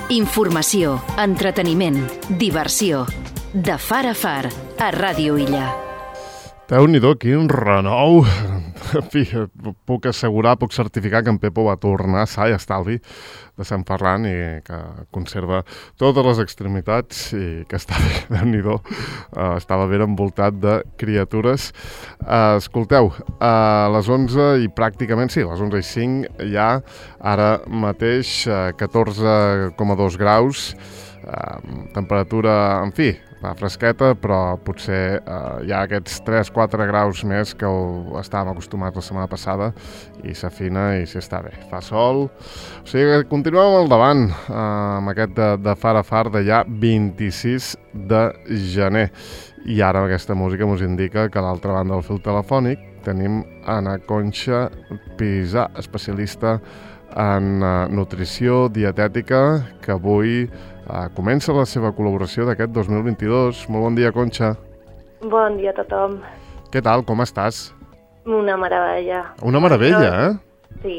Informació, entreteniment, diversió. De far a far, a Ràdio Illa. Déu-n'hi-do, quin renou! En fi, puc assegurar, puc certificar que en Pepo va tornar sa i estalvi de Sant Ferran i que conserva totes les extremitats i que està bé, Déu-n'hi-do. Estava ben envoltat de criatures. Escolteu, a les 11 i pràcticament, sí, a les 11:05 ja, ara mateix 14,2 graus, temperatura, en fi, va fresqueta, però potser hi ha aquests 3-4 graus més que estàvem acostumats la setmana passada i s'afina i s'hi està bé. Fa sol, o sigui que continuem al davant amb aquest de far a far de ja 26 de gener. I ara aquesta música ens indica que a l'altra banda del fil telefònic tenim Ana Conxa Pisà, especialista en nutrició dietètica, que avui comença la seva col·laboració d'aquest 2022. Molt bon dia, Conxa. Bon dia a tothom. Què tal, com estàs? Una meravella. Una meravella, eh? Sí.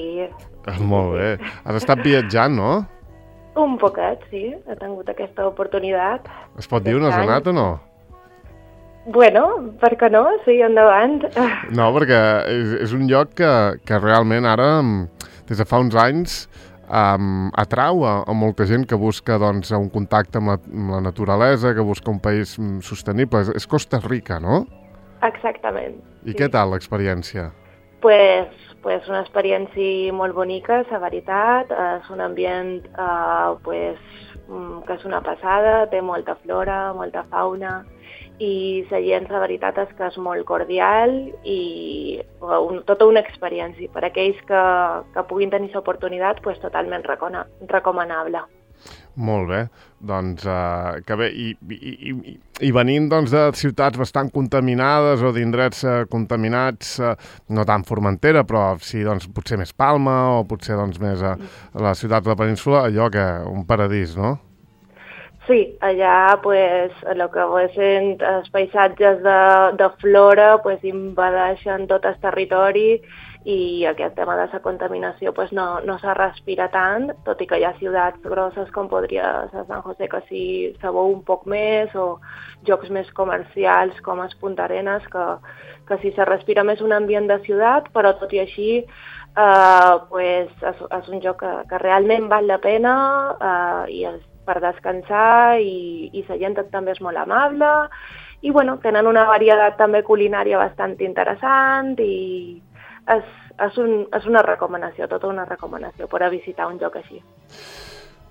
Molt bé. Has estat viatjant, no? Un poquet, sí. He tingut aquesta oportunitat. Es pot dir on has anat o no? Bueno, per què no? Sí, endavant. No, perquè és un lloc que realment ara, des de fa uns anys, atrau a molta gent que busca doncs, un contacte amb la naturalesa, que busca un país sostenible. És Costa Rica, no? Exactament. I què tal l'experiència? Pues una experiència molt bonica, la veritat. És un ambient que és una passada, té molta flora, molta fauna, i la gent, la veritat és que és molt cordial i tota una experiència. Per aquells que puguin tenir l'oportunitat, pues, totalment recomanable. Molt bé, doncs que bé, i venint doncs, de ciutats bastant contaminades o d'indrets contaminats, no tant Formentera, però sí, doncs, potser més Palma o potser doncs, més a la ciutat de la península, allò que un paradís, no? Sí, allà pues, el que són els paisatges de flora pues, invadeixen tot el territori i aquest tema de la contaminació pues, no se respira tant, tot i que hi ha ciutats grosses com podria ser San José, que sí se veu un poc més, o jocs més comercials com es Punta Arenas, que sí se respira més un ambient de ciutat, però tot i així pues, és un joc que realment val la pena i és per descansar i la gent també és molt amable i bueno, tenen una varietat també culinària bastant interessant i és una recomanació, tota una recomanació per a visitar un lloc així.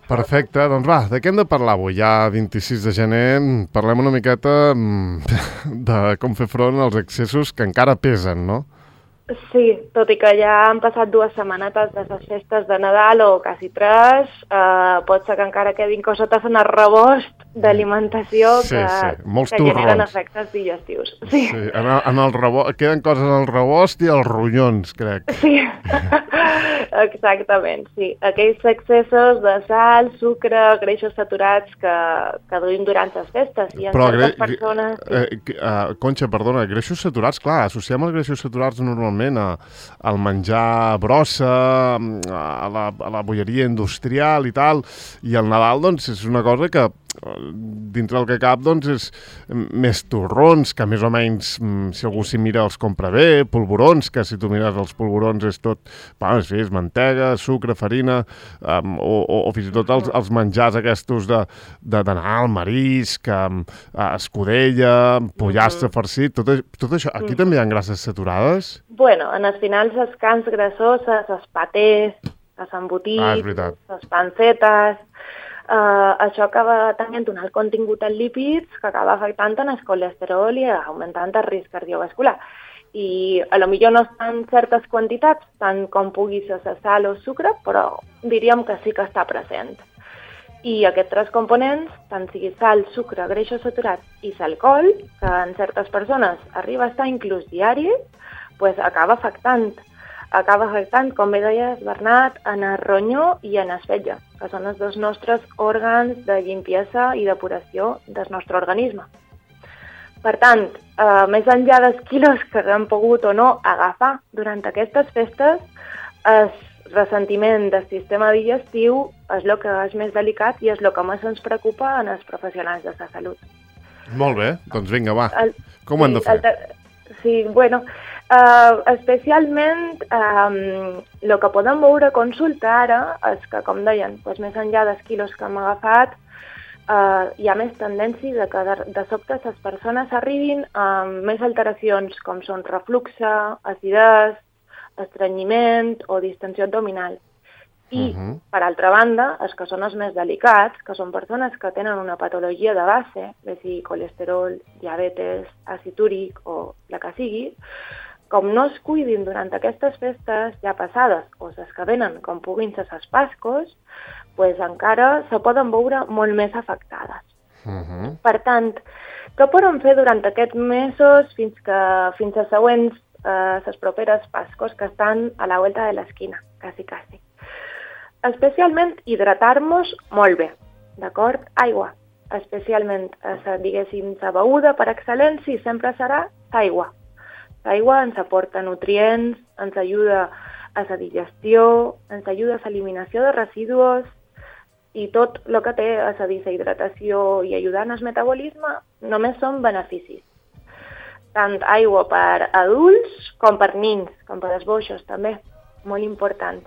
Perfecte, doncs va, de què hem de parlar avui? Ja 26 de gener, parlem una miqueta de com fer front als excessos que encara pesen, no? Sí, tot i que ja han passat 2 setmanetes de les festes de Nadal o quasi 3, pot ser que encara quedin cosetes en el rebost d'alimentació que generen efectes digestius. Sí, en el rebost, queden coses en el rebost i els ronyons, crec. Sí, exactament, sí. Aquells excessos de sal, sucre, greixos saturats que duim durant les festes. I en certes persones... Conxa, perdona, greixos saturats, clar, associem els greixos saturats normalment al menjar brossa, a la bolleria industrial i tal, i el Nadal doncs és una cosa que dintre del que cap doncs és més torrons, que més o menys si algú s'hi mira els compra bé, polvorons, que si tu mires els polvorons és tot, és mantega, sucre, farina, o fins i tot els menjars aquests d'anar al marisc, escudella, pollastre farcit, tot això. Aquí també hi ha grasses saturades? Bueno, en els finals les carns grassoses, els patés, els embotits, les pancetes, això acaba tenint un alt contingut en lípids que acaba afectant en el colesterol i augmentant el risc cardiovascular. I potser no estan certes quantitats, tant com pugui ser la sal o sucre, però diríem que sí que està present. I aquests 3 components, tant sigui sal, sucre, greixos saturats i l'alcohol, que en certes persones arriba a estar inclús diari, pues acaba afectant, com bé deies, Bernat, en el ronyó i en el fetge, que són els 2 nostres òrgans de limpiesa i depuració del nostre organisme. Per tant, més enllà dels quilos que hem pogut o no agafar durant aquestes festes, ressentiment del sistema digestiu és el que és més delicat i és el que més ens preocupa en els professionals de la salut. Molt bé, doncs vinga, va. Com ho hem de fer? Sí, bueno, especialment el que podem veure a consulta ara és que, com deien, doncs més enllà dels quilos que hem agafat, hi ha més tendència de que de sobte les persones arribin amb més alteracions com són refluxe, acidesa, estrenyiment o distensió abdominal. I, per altra banda, els que són els més delicats, que són persones que tenen una patologia de base, bé sigui colesterol, diabetes, àcid úric o la que sigui, com no es cuidin durant aquestes festes ja passades o les que venen com puguin ser les Pascos, pues encara se poden veure molt més afectades. Per tant, què podem fer durant aquests mesos fins a següents, les properes Pascos que estan a la vuelta de l'esquina, quasi. Especialment hidratar-nos molt bé, d'acord? Aigua, especialment, diguéssim, la beguda per excel·lència sempre serà l'aigua. L'aigua ens aporta nutrients, ens ajuda a la digestió, ens ajuda a l'eliminació de residus i tot el que té a la deshidratació i ajudant al metabolisme només són beneficis. Tant aigua per adults com per nins, com per els boixos també, molt important.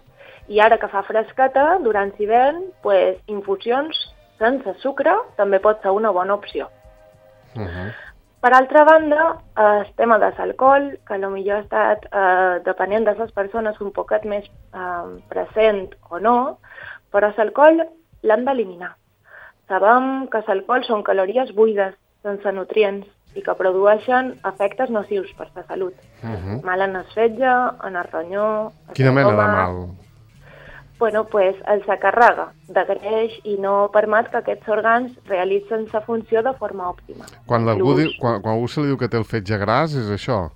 I ara que fa fresqueta, durant l'hivern, pues, infusions sense sucre també pot ser una bona opció. Per altra banda, el tema de l'alcohol, que potser ha estat, depenent de les persones, un poquet més present o no, però l'alcohol l'hem d'eliminar. Sabem que l'alcohol són calories buides, sense nutrients, i que produeixen efectes nocius per la salut. Mal en el fetge, en el ronyó... Quina mena de mal? Bueno, pues el s'acarrega de greix i no permet que aquests òrgans realitzen la funció de forma òptima. Quan algú se li diu que té el fetge gras, és això?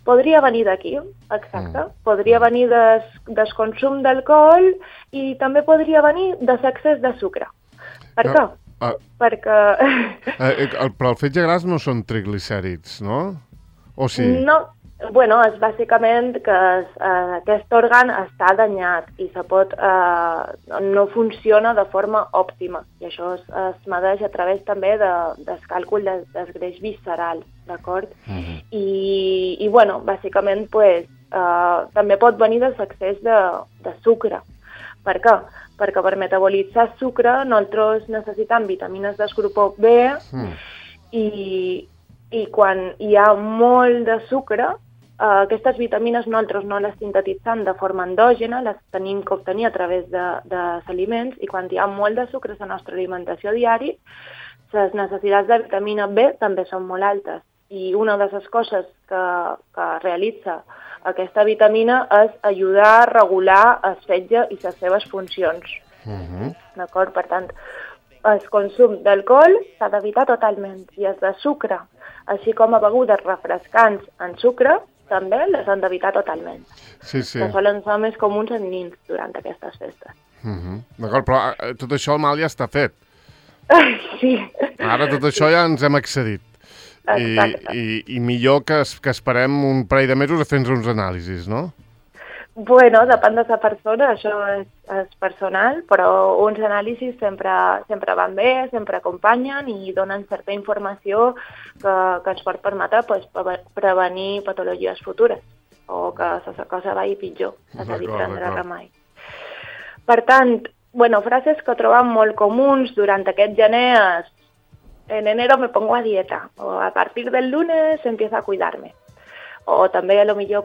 Podria venir d'aquí, exacte. Podria venir del consum d'alcohol i també podria venir de l'excés de sucre. Per què? Perquè... Però el fetge gras no són triglicèrids, no? O sí? No. Bueno, és bàsicament que aquest òrgan està danyat i no funciona de forma òptima. I això es medeix a través també del càlcul del greix visceral, d'acord? I bueno, bàsicament, pues, també pot venir de l'excés de sucre. Per què? Perquè per metabolitzar sucre nosaltres necessitem vitamines del grup B i quan hi ha molt de sucre, aquestes vitamines nosaltres no les sintetitzem de forma endògena, les tenim que obtenir a través dels aliments, i quan hi ha molt de sucre a la nostra alimentació diària, les necessitats de vitamina B també són molt altes. I una de les coses que realitza aquesta vitamina és ajudar a regular el fetge i les seves funcions. D'acord? Per tant, el consum d'alcohol s'ha d'evitar totalment, i els de sucre, així com a begudes refrescants en sucre, també les han d'evitar totalment. Sí. Que solen ser més comuns en nins durant aquestes festes. D'acord, però tot això el mal ja està fet. Sí. Ara tot això ja ens hem excedit. I millor que esperem un parell de mesos a fer-nos uns anàlisis, no? Bueno, depèn de la persona, això és personal, però uns anàlisis sempre van bé, sempre acompanyen i donen certa informació que ens pot permetre prevenir patologies futures o que la cosa vagi pitjor, és a dir, prendre remei. Per tant, frases que trobam molt comuns durant aquest gener és: en enero me pongo a dieta, o a partir del lunes empiezo a cuidarme. O també, a lo millor,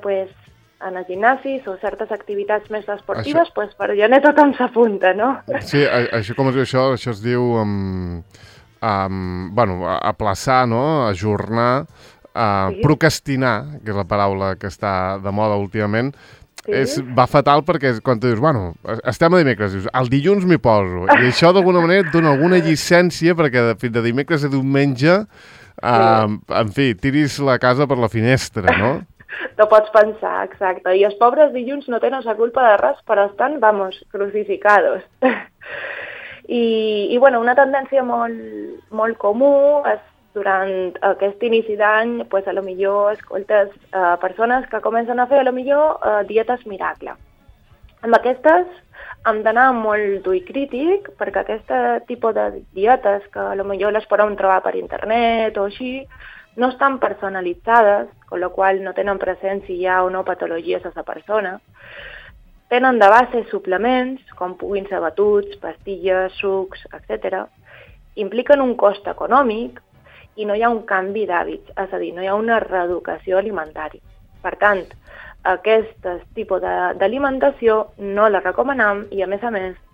en els gimnasis o certes activitats més esportives, per gener tothom s'apunta, no? Sí, això com es diu això? Això es diu aplaçar, no? Ajornar, procrastinar, que és la paraula que està de moda últimament. Va fatal perquè quan tu dius, estem a dimecres, dius, el dilluns m'hi poso. I això d'alguna manera et dona alguna llicència perquè fins de dimecres a diumenge, en fi, tiris la casa per la finestra, no? T'ho pots pensar, exacte. I els pobres dilluns no tenen la culpa de res, però estan, crucificados. I una tendència molt comú és durant aquest inici d'any, a lo millor escoltes persones que comencen a fer a lo millor dietes miracle. Amb aquestes hem d'anar molt d'ull crític, perquè aquest tipus de dietes, que potser les podem trobar per internet o així, no estan personalitzades, amb la qual no tenen present si hi ha o no patologies a la persona. Tenen de base suplements, com puguin ser batuts, pastilles, sucs, etc. Impliquen un cost econòmic i no hi ha un canvi d'hàbits, és a dir, no hi ha una reeducació alimentària. Per tant, aquest tipus d'alimentació no la recomanem i, a més,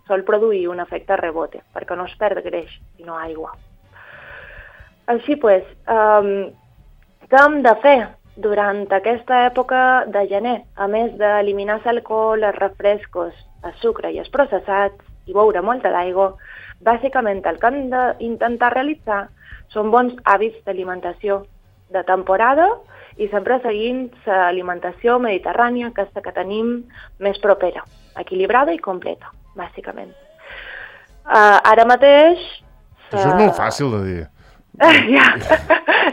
sol produir un efecte rebote, perquè no es perd greix, sinó aigua. Així, què hem de fer durant aquesta època de gener? A més d'eliminar l'alcohol, els refrescos, el sucre i els processats i beure molta d'aigua, bàsicament el que hem d'intentar realitzar són bons hàbits d'alimentació de temporada i sempre seguint l'alimentació mediterrània, que és la que tenim més propera, equilibrada i completa, bàsicament. Ara mateix... Això és molt fàcil de dir. Ja,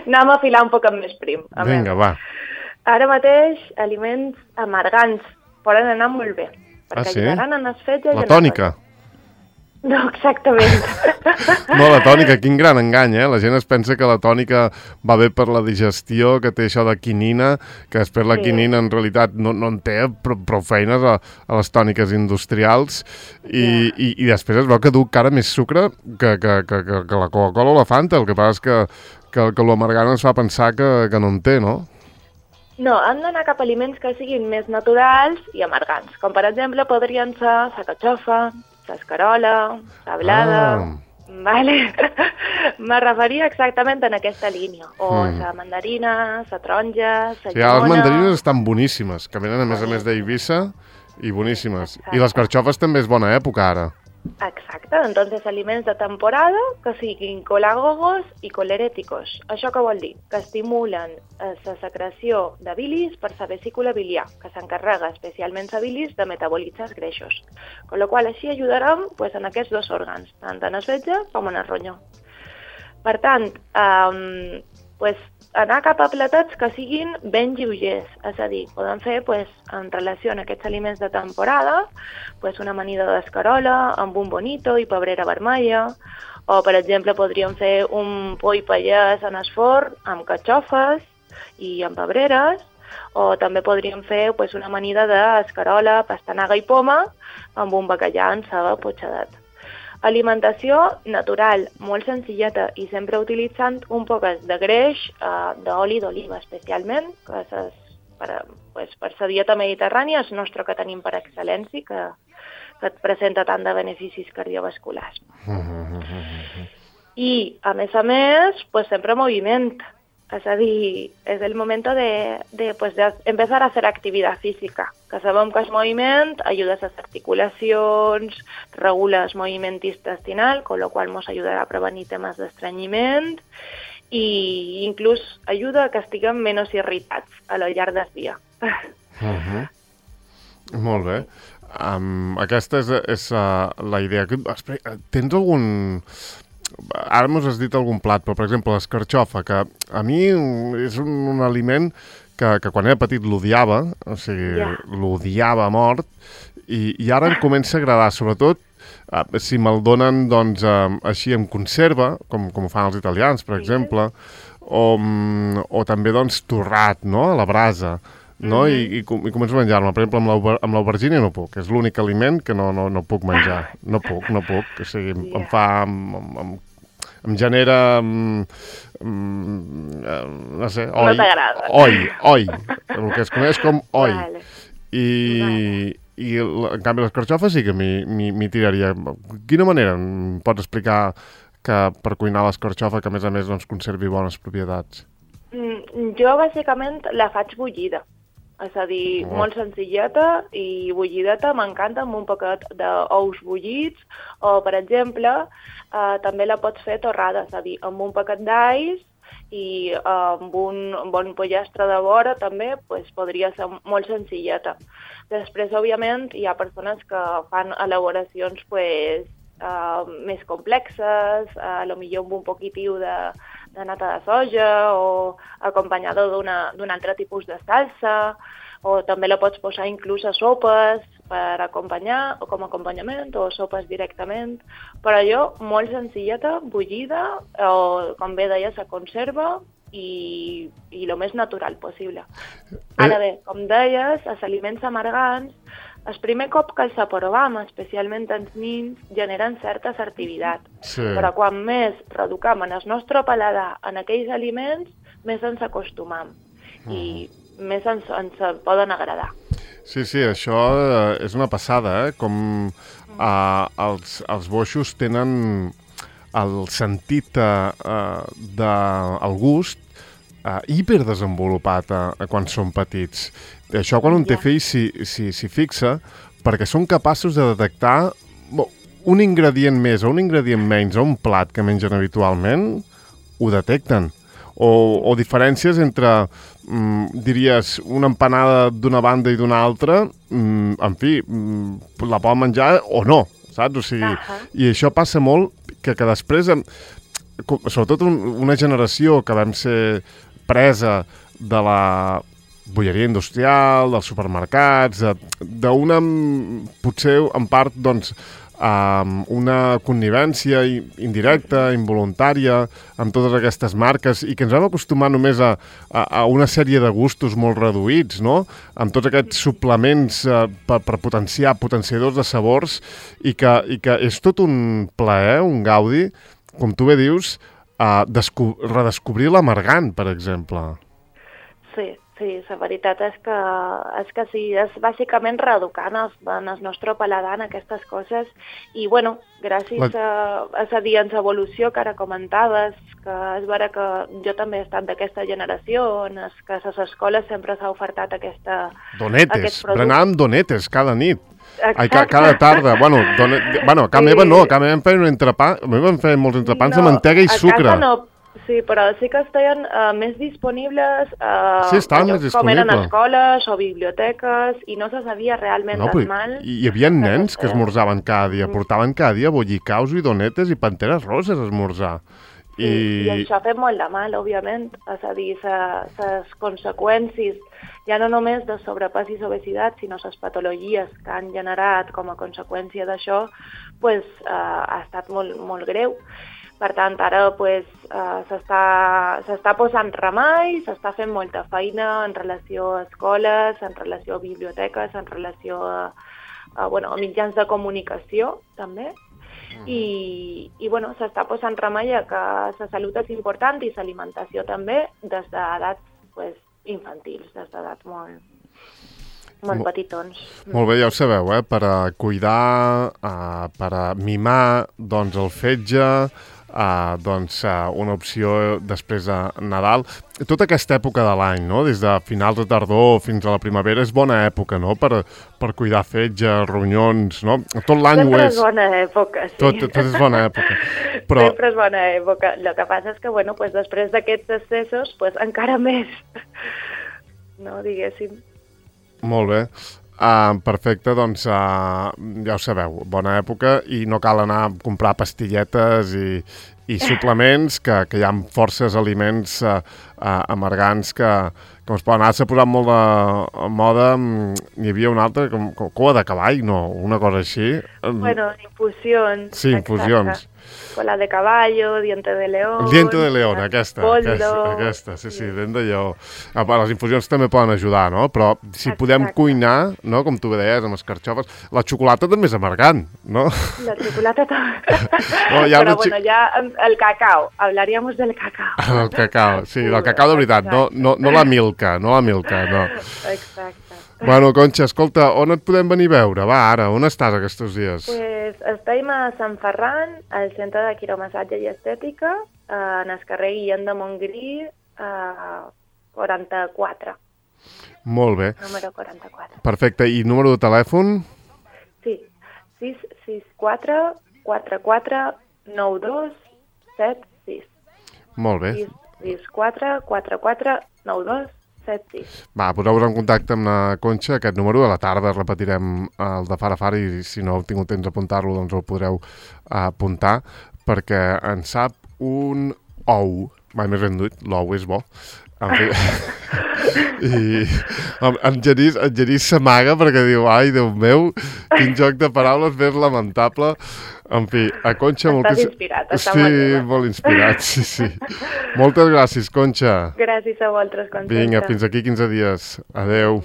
anem a filar un poc més prim. Vinga, va. Ara mateix, aliments amargants poden anar molt bé, perquè ajudaran en els fets... La tònica. No, exactament. No, la tònica, quin gran engany, eh? La gent es pensa que la tònica va bé per la digestió, que té això de quinina, que després la quinina en realitat no en té prou feines a les tòniques industrials i després es veu que du cara més sucre que la Coca-Cola o la Fanta. El que passa és que l'amargant ens fa pensar que no en té, no? No, han d'anar cap a aliments que siguin més naturals i amargants, com per exemple podrien ser la catxofa, l'escarola, la blada... Vale. Me referia exactament en aquesta línia. O la mandarina, la taronja, la llimona... Les mandarines estan boníssimes, que venen a més d'Eivissa i boníssimes. Exacte. I les carxofes també és bona època ara. Exacte, entonces aliments de temporada que siguin colagogos i colerèticos. Això què vol dir? Que estimulen la secreció de bilis per la vesícula biliar, que s'encarrega especialment la bilis de metabolitzar els greixos. Con la qual així ajudarem en aquests dos òrgans, tant en el fetge com en el ronyó. Per tant, anar cap a platats que siguin ben lleugers, és a dir, podem fer en relació a aquests aliments de temporada una amanida d'escarola amb un bonito i pebrera vermella, o per exemple podríem fer un poll pallès en el forn amb catxofes i amb pebreres, o també podríem fer una amanida d'escarola, pastanaga i poma amb un bacallà en ceba potxadat. Alimentació natural, molt senzilleta i sempre utilitzant un poc de greix d'oli d'oliva especialment, que per la dieta mediterrània és el nostre que tenim per excel·lència, que et presenta tant de beneficis cardiovasculars. I, a més, sempre moviment. És a dir, és el moment de empezar a hacer actividad física, que sabem que el moviment ajuda a les articulacions, regula el moviment intestinal, con lo qual ens ajudarà a prevenir temes d'estrenyiment i inclús ajuda a que estiguem menys irritats a lo llarg del dia. Molt bé. Aquesta és la idea. Tens algun... Ara m'ho has dit algun plat, però per exemple l'escarxofa, que a mi és un aliment que quan era petit l'odiava, o sigui, l'odiava a mort, i ara em comença a agradar, sobretot si me'l donen doncs, així en conserva, com ho fan els italians, per exemple, o també doncs, torrat, no?, a la brasa, no? I començo a menjar-me. Per exemple, amb l'aubergina no puc, és l'únic aliment que no puc menjar. No puc. O sigui, em fa... Em genera... no sé, oi. No t'agrada. Oi. El que es coneix com oi. Vale. I en canvi les carxofes sí que m'hi tiraria. De quina manera em pots explicar que per cuinar l'escarxofa que a més doncs, conservi bones propietats? Jo bàsicament la faig bullida. És a dir, molt senzilleta i bullideta, m'encanta, amb un poquet d'ous bullits, o, per exemple, també la pots fer torrada, és a dir, amb un paquet d'alls i amb un bon pollastre de vora també podria ser molt senzilleta. Després, òbviament, hi ha persones que fan elaboracions més complexes, potser amb un poquitiu de nata de soja o acompanyada d'un altre tipus de salsa. o també la pots posar inclús a sopes per acompanyar o com a acompanyament o sopes directament, però allò molt senzilleta, bullida o com bé deies, a conserva i el més natural possible. Ara bé, com deies, els aliments amargants, el primer cop que els aprovem, especialment els nins, generen certa assertivitat. Sí. Però quan més reeducam en el nostre paladar en aquells aliments, més ens acostumam i més ens poden agradar. Sí, això és una passada, com els boixos tenen el sentit del gust hiperdesenvolupat quan són petits. Això quan un té fills s'hi fixa, perquè són capaços de detectar un ingredient més o un ingredient menys a un plat que mengen habitualment, ho detecten. O diferències entre, diries, una empanada d'una banda i d'una altra, en fi, la poden menjar o no, saps? O sigui, i això passa molt que després, sobretot una generació que vam ser presa de la bolleria industrial, dels supermercats, d'una, potser en part, doncs, una connivència indirecta, involuntària, amb totes aquestes marques, i que ens vam acostumar només a una sèrie de gustos molt reduïts, no? Amb tots aquests suplements per potenciadors de sabors, i que és tot un plaer, un gaudi, com tu bé dius, redescobrir l'amargant, per exemple. Sí, la veritat és que sí, és bàsicament reeducant en el nostre paladar en aquestes coses i, bueno, gràcies a la evolució que ara comentaves, que és vera que jo també he estat d'aquesta generació en què a les escoles sempre s'ha ofertat donetes, berenàvem donetes cada nit. Cada tarda. Bueno, a casa meva no, a casa meva em feien un entrepà, a mi em feien molts entrepans de mantega i sucre. A casa no. Sí, però sí que estaven més disponibles com eren escoles o biblioteques i no se sabia realment tan mal. Hi havia nens que esmorzaven cada dia, portaven cada dia bollicaus i donetes i panteres roses a esmorzar. I això ha fet molt de mal, òbviament, és a dir, les conseqüències, ja no només de sobrepès i obesitat, sinó les patologies que han generat com a conseqüència d'això, ha estat molt, molt greu. Per tant, ara s'està posant remei, s'està fent molta feina en relació a escoles, en relació a biblioteques, en relació a mitjans de comunicació, també. I s'està posant remei a que la salut és important i l'alimentació també des d'edats infantils, des d'edats molt petitons. Molt bé, ja ho sabeu, per a cuidar, per a mimar el fetge, una opció després de Nadal. Tota aquesta època de l'any, no? Des de finals de tardor fins a la primavera, és bona època, no? Per cuidar fetge, ronyons, no? Tot l'any ho és. Sempre és bona època, sí. Tot és bona època. Sempre és bona època. El que passa és que, després d'aquests excessos, encara més, no, diguéssim. Molt bé. Perfecte, doncs ja ho sabeu, bona època i no cal anar a comprar pastilletes i suplements, que hi ha forces aliments amargants que es poden anar. S'ha posat molt de moda, hi havia una altra, com cola de cavall, no? Una cosa així. Infusions. Sí, infusions. Cola de caballo, diente de león... Diente de león, aquesta, sí, dent de lleó. Les infusions també poden ajudar, no? Però si podem cuinar, no? Com tu bé deies, amb escarxofes, la xocolata també és amargant, no? La xocolata també. Però ja el cacao, hablaríamos del cacao. El cacao, sí, del cacao de veritat, no la milka, no. Exacte. Bueno, Conxa, escolta, on et podem venir a veure? Va, ara, on estàs aquests dies? Estem a Sant Ferran, al centre de quiromassatge i estètica, en el carrer Guillem de Montgrí, 44. Molt bé. Número 44. Perfecte, i número de telèfon? Sí, 664 44 92 76. Molt bé. 664 44 92 76. Va, poseu-vos en contacte amb la Conxa, aquest número. A la tarda repetirem el de Far a Far i si no heu tingut temps d'apuntar-lo, doncs el podreu apuntar, perquè en sap un ou. Mai més ben dit, l'ou és bo. En fi... I en Genís s'amaga perquè diu, ai, Déu meu, quin joc de paraules més lamentable. En fi, a Conxa... Estàs inspirat, està molt inspirat, sí. Moltes gràcies, Conxa. Gràcies a vosaltres, Conxença. Vinga, fins aquí 15 dies. Adeu.